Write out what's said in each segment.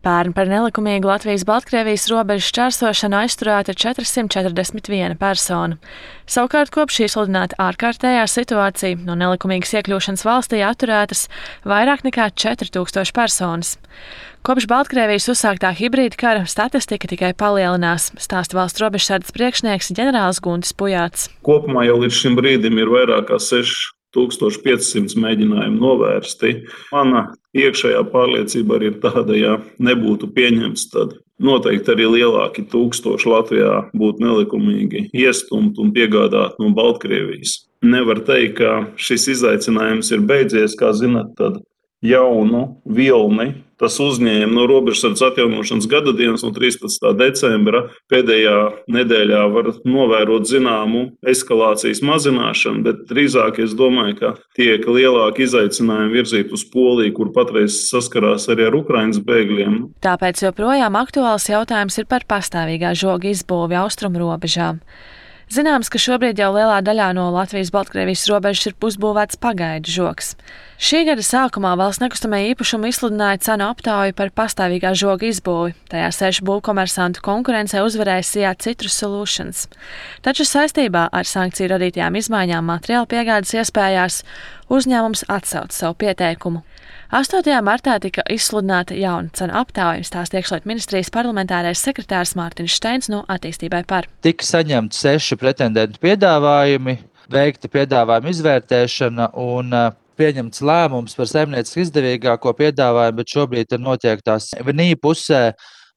Pērn par nelikumīgu Latvijas-Baltkrievijas robežas šķērsošanu aizturēta 441 persona. Savukārt kopš izsludināta ārkārtējā situācija no nelikumīgas iekļūšanas valstī atturētas vairāk nekā 4000 personas. Kopš Baltkrievijas uzsāktā hibrīda kara statistika tikai palielinās, stāsta valsts robežsardzes priekšnieks ģenerālis Guntis Pujāts. Kopumā jau līdz šim brīdim ir vairāk kā 6500 mēģinājumu novērsti. Mana iekšējā pārliecība arī ir tāda, ja nebūtu pieņemts, tad noteikti arī lielāki tūkstoši Latvijā būtu nelikumīgi iestumti un piegādāti no Baltkrievijas. Nevar teikt, ka šis izaicinājums ir beidzies, kā zināt, tad jaunu vilni. Tas uzņēma no robežsardzes atjaunošanas gada dienas no 13. decembra. Pēdējā nedēļā var novērot zināmu eskalācijas mazināšanu, bet drīzāk es domāju, ka tiek lielāki izaicinājumi virzīt uz Poliju, kur patreiz saskarās arī ar Ukrainas bēgļiem. Tāpēc joprojām aktuāls jautājums ir par pastāvīgā žoga izbūvi austrumu robežām. Zināms, ka šobrīd jau lielā daļā no Latvijas-Baltkrievijas robežas ir pusbūvēts pagaidu žogs. Šī gada sākumā valsts nekustamajā īpašumā izsludināja cenu aptauju par pastāvīgā žoga izbūvi. Tajā 6 būvkomersantu konkurencē uzvarēja Sijā Citrus Solutions. Taču saistībā ar sankciju radītajām izmaiņām materiāla piegādes iespējās uzņēmums atsauca savu pieteikumu. 8. martā tika izsludināta jauna cenu aptauja, stāsta iekšlietu ministrijas parlamentārais sekretārs Mārtiņš Steins no Attīstībai par. Tika saņemti 6 pretendentu piedāvājumi, veikta piedāvājuma izvērtēšana un pieņemts lēmums par saimnieciski izdevīgāko piedāvājumu, bet šobrīd notiek tās VNI pusē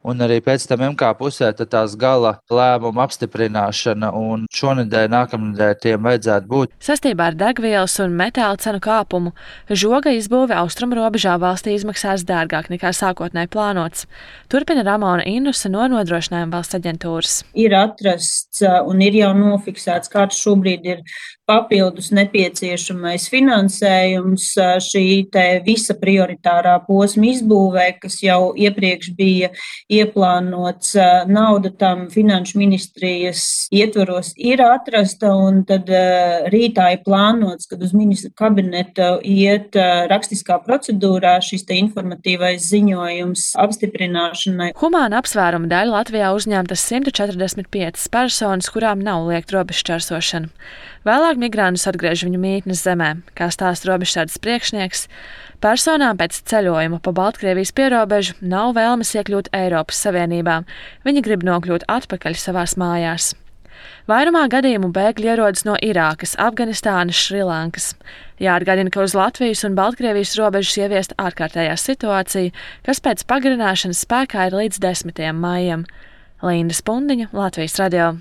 un arī pēc tam MK pusē tās gala lēmuma apstiprināšana, un šonedēļ, nākamnedēļ tiem vajadzētu būt. Sastībā ar degvielas un metāla cenu kāpumu žoga izbūve austrumu robežā valstī izmaksās dārgāk nekā sākotnēji plānots. Turpina Ramona Innusa no Nodrošinājuma valsts aģentūras. Ir atrasts un ir jau nofiksēts, kāds šobrīd ir papildus nepieciešamais finansējums šī visa prioritārā posma izbūvē, kas jau iepriekš bija ieplānots. Nauda tam finanšu ministrijas ietvaros ir atrasta, un tad rītā ir plānots, kad uz ministra kabineta iet rakstiskā procedūrā šis informatīvais ziņojums apstiprināšanai. Humāna apsvēruma dēļ Latvijā uzņemtas 145 personas, kurām nav liekta robežšķērsošana. Vēlāk migrāntus atgriež viņu mītnes zemē, kā stāsta robežsardzes priekšnieks. Personām pēc ceļojuma pa Baltkrievijas pierobežu nav vēlmes iekļūt Eiropas Savienībā. Viņi grib nokļūt atpakaļ savās mājās. Vairumā gadījumu bēgļi ierodas no Irākas, Afganistānas, Šrilankas. Jāatgādina, ka uz Latvijas un Baltkrievijas robežas ieviesta ārkārtējā situācija, kas pēc pagarināšanas spēkā ir līdz 10. maijam. Linda Spundiņa, Latvijas radio.